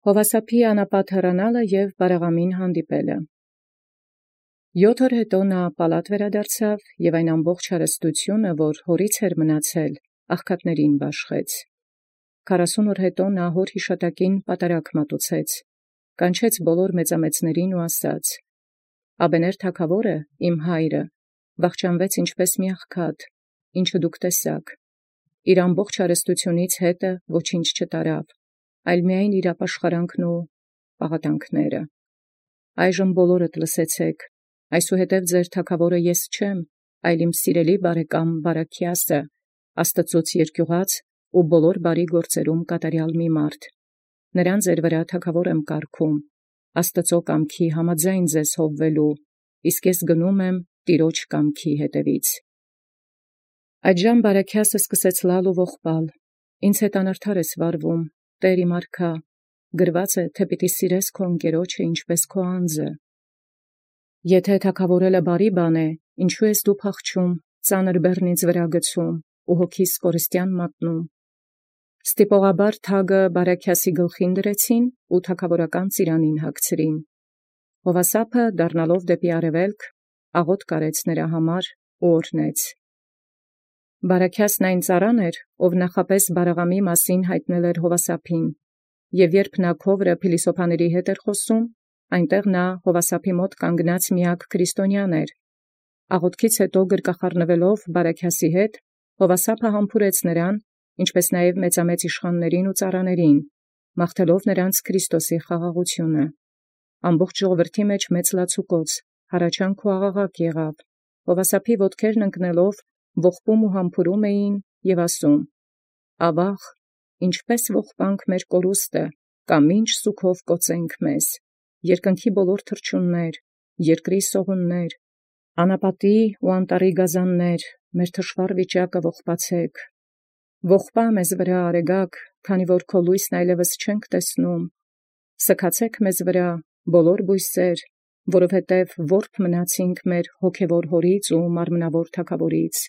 Հովասափի անապատ հեռանալը և բարեղամին հանդիպելը։ 7 օր յետո նա պալատ վերադարձավ և այն ամբողջ հարստութիւնը, որ հորից էր մնացել, աղքատներուն բաշխեց։ 40 օր յետո նա հոր յիշատակին պատարագ մատուցեց, կանչեց բոլոր մեծամեծներուն ու ասաց. «Աբեներ թագաւորը, իմ հայրը, վախճանվեց ինչպէս մի աղքատ, ինչը դուք տեսաք. իր ամբողջ հարստութիւնից հետը ոչինչ չտարավ, այլ միայն իր ապաշխարանքն ու պաղատանքները։ Այժմ բոլորդ լսեցէք, այսուհետև ձեր թագաւորը ես չեմ, այլ իմ սիրելի բարեկամ Բարաքիասը, Աստուծոց երկյուղած ու բոլոր բարի գործերում կատարեալ մի մարդ։ Նրան ձեր վրա թագաւոր եմ կարգում, Աստուծոյ կամքի համաձայն ձեզ հովվելու, իսկ ես գնում եմ Տիրոջ կամքի հետևից»։ Այդժամ Բարաքիասը սկսեց լալ ու ողբալ. «Ինձ հետ անարդար ես վարվում, Տէր իմ արքա, գրված է, թէ պիտի սիրես քո ընկերոջը ինչպէս քո անձը։ Եթէ թագաւորելը բարի բան է, ինչու ես դու փախչում, ծանր բեռնից վրա գցում ու հոգիս կորստյան մատնում»։ Ստիպողաբար թագը Բարաքիասի գլխին դրեցին ու թագաւորական ծիրանին հագցրին։ Հովասափը դառնալով դեպի արևելք, աղոթք արեց նրա համար ու օրհնեց։ Բարաքիասն այն ծառան էր, ով նախապէս բարեղամի մասին յայտնել էր Հովասափին, և երբ նա քովրը փիլիսոփաների հետ էր խոսում, այնտեղ նա Հովասափի մոտ կանգնած միակ քրիստոնյան էր։ Աղոթքից յետո գրկախառնվելով Բարաքիասի հետ, Հովասափը համբուրեց նրան, ինչպէս նաև մեծամեծ իշխանացն ու ծառաներին, մաղթելով նրանց Քրիստոսի խաղաղութիւնը։ Ամբողջ ժողովրդի մեջ մեծ լացուկոծ, հառաչանք ու աղաղակ եղավ, Հովասափի ոտքերն ընկնելով ողբում ու համբուրում էին և ասում. «Ավաղ, ինչպէս ողբանք մեր կորուստը, կամ ինչ սուգով կոծենք մեզ, երկնքի բոլոր թռչուններ, երկրի սողուններ, անապատի ու անտառի գազաններ, մեր թշուառ վիճակը ողբացէք։ Ողբա մեզ վրա արեգակ, քանի որ քո լույսն այլևս չենք տեսնում. սգացէք մեզ վրա, բոլոր բույսեր, որովհետև որբ մնացինք մեր հոգևոր հորից ու մարմնավոր թագաւորից։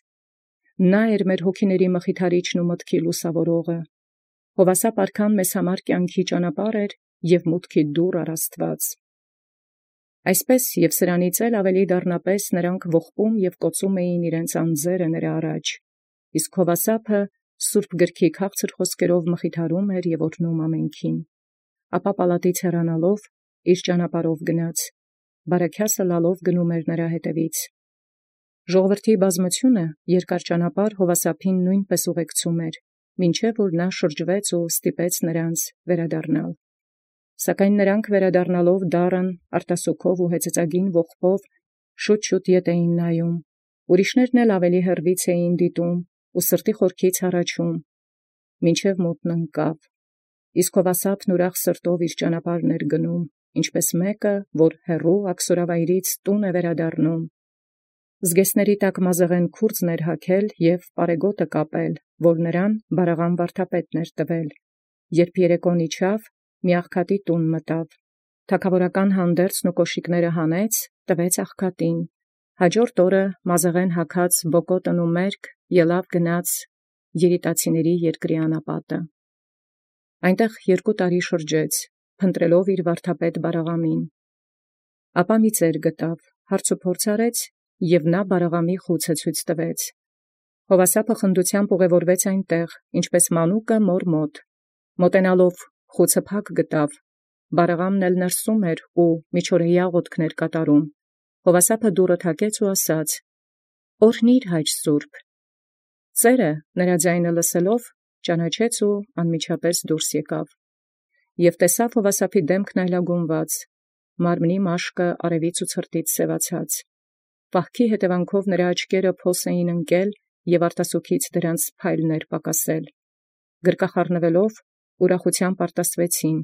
Նա էր մեր հոգիների մխիթարիչն ու մտքի լուսավորողը։ Հովասափ արքան մեզ համար կյանքի ճանապարհ էր և մուտքի դուռ առ Աստուած»։ Այսպէս և սրանից էլ ավելի դառնապէս նոցանք ողբում և կոծում էին իրենց անձերը նրա առաջ, իսկ Հովասափը սուրբ գրքի քաղցր խոսքերով մխիթարում էր և օրհնում ամենքին։ Ապա պալատից հեռանալով իր ճանապարհով գնաց, Բարաքիասը լալով գնում էր նրա հետևից։ Ժողովրդի բազմութիւնը երկար ճանապարհ Հովասափին նոյնպէս ուղեկցում էր, մինչև որ նա շրջվեց ու ստիպեց նրանց վերադառնալ։ Սակայն նրանք վերադառնալով դառն արտասուքով ու հեծեծագին ողբով շուտ ետ էին նայում, ուրիշներն էլ ավելի հեռվից էին դիտում ու սրտի խորքից հառաչում, մինչև մութն ընկավ։ Իսկ Հովասափն ուրախ սրտով իր ճանապարհն էր գնում, ինչպէս մեկը, որ հեռու աքսորավայրից տուն է վերադառնում։ Զգեստների տակ մազեղէն քուրձն էր հագել և պարեգոտը կապել, որ նրան բարեղամ վարդապետն էր տվել։ Երբ երեկոն իջավ, մի աղքատի տուն մտավ, թագաւորական հանդերձն ու կոշիկները հանեց, տվեց աղքատին։ Յաջորդ օրը մազեղէն հագած բոկոտն ու մերկ ելաւ գնաց երիտացիների երկրի անապատը։ Այնտեղ 2 տարի շրջեց, փնտրելով իր վարդապետ բարեղամին։ Ապա մի ծեր գտավ, հարցուփորձ արեց, և նա բարեղամի խուցը ցույց տվեց։ Հովասափը խնդութեամբ ուղևորվեց այնտեղ, ինչպէս մանուկը մոր մոտ։ Մոտենալով խուցը փակ գտավ, բարեղամն էլ ներսում էր ու միջօրեի աղոթքն էր կատարում։ Հովասափը դուռը թակեց ու ասաց. «Օրհնի՛ր, հայր սուրբ»։ Ծերը նրա ձայնը լսելով ճանաչեց ու անմիջապես դուրս եկավ, և տեսավ Հովասափի դեմքն այլագունված, մարմնի մաշկը արևից ու ցրտից սևացած։ Պահքի հետևանքով նրա աչքերը փոս էին ընկել և արտասուքից դրանց փայլն էր պակասել։ Գրկախառնվելով ուրախութեամբ արտասվեցին,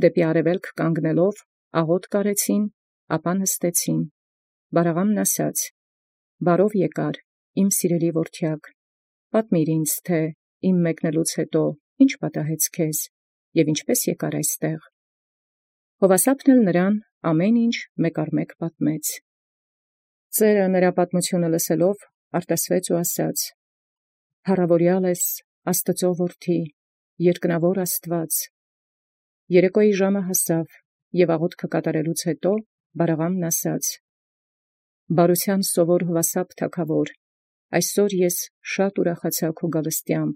դեպի արևելք կանգնելով աղոթք արեցին, ապա նստեցին։ Բարեղամն ասաց. «Բարով եկար, իմ սիրելի որդեակ, պատմիր ինձ, թէ իմ մեկնելուց յետո ի՞նչ պատահեց քեզ, և ինչպէս եկար այստեղ»։ Հովասափն էլ նրան ամեն ինչ մեկ առ մեկ պատմեց։ Ծերը նրա պատմութիւնը լսելով արտասվեց ու ասաց. «Փառաւորեալ ես Աստուծոյ որդի, երկնաւոր Աստուած, Երեկոյի ժամը հասավ, և աղոթքը կատարելուց հետո Բարաղամն ասաց. «Բարութեան սովոր հաւասարբ թագաւոր, այսօր ես շատ ուրախացա քո գալստեամբ.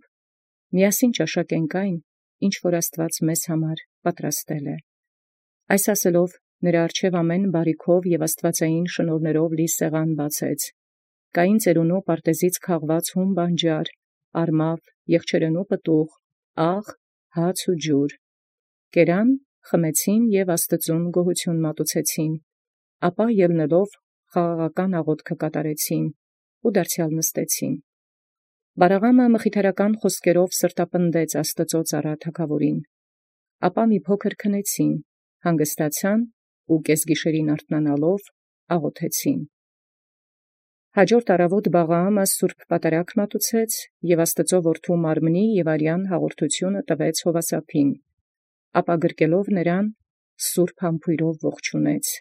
միասին ճաշակենք այն, ինչ որ Աստուած մեզ համար պատրաստել է»։ Այս ասելով նրա առջև ամեն բարիքով և աստուածային շնորհներով լի սեղան բացեց։ Կային ծերունու պարտեզից քաղված հում բանջար, արմավ, եղջերենու պտուղ, աղ, հաց ու ջուր։ Կերան, խմեցին և Աստուծոյ գոհություն մատուցեցին, ապա ելնելով խաղաղական աղոթքը կատարեցին ու դարձեալ նստեցին։ Բարաղամը մխիթարական խոսքերով սրտապնդեց Աստուծոյ ծառա թագաւորին։ Ապա մի փոքր քնեցին, հանգստացան ու կեսգիշերին արթնանալով աղոթեցին։ Հաջորդ առավոտ Բաղրամը սուրբ պատարագ մատուցեց և Աստուծոյ որդու մարմնի և արյան հաղորդութիւնը տվեց Յովասափին, ապա գրկելով նրան սուրբ համբոյրով ողջունեց։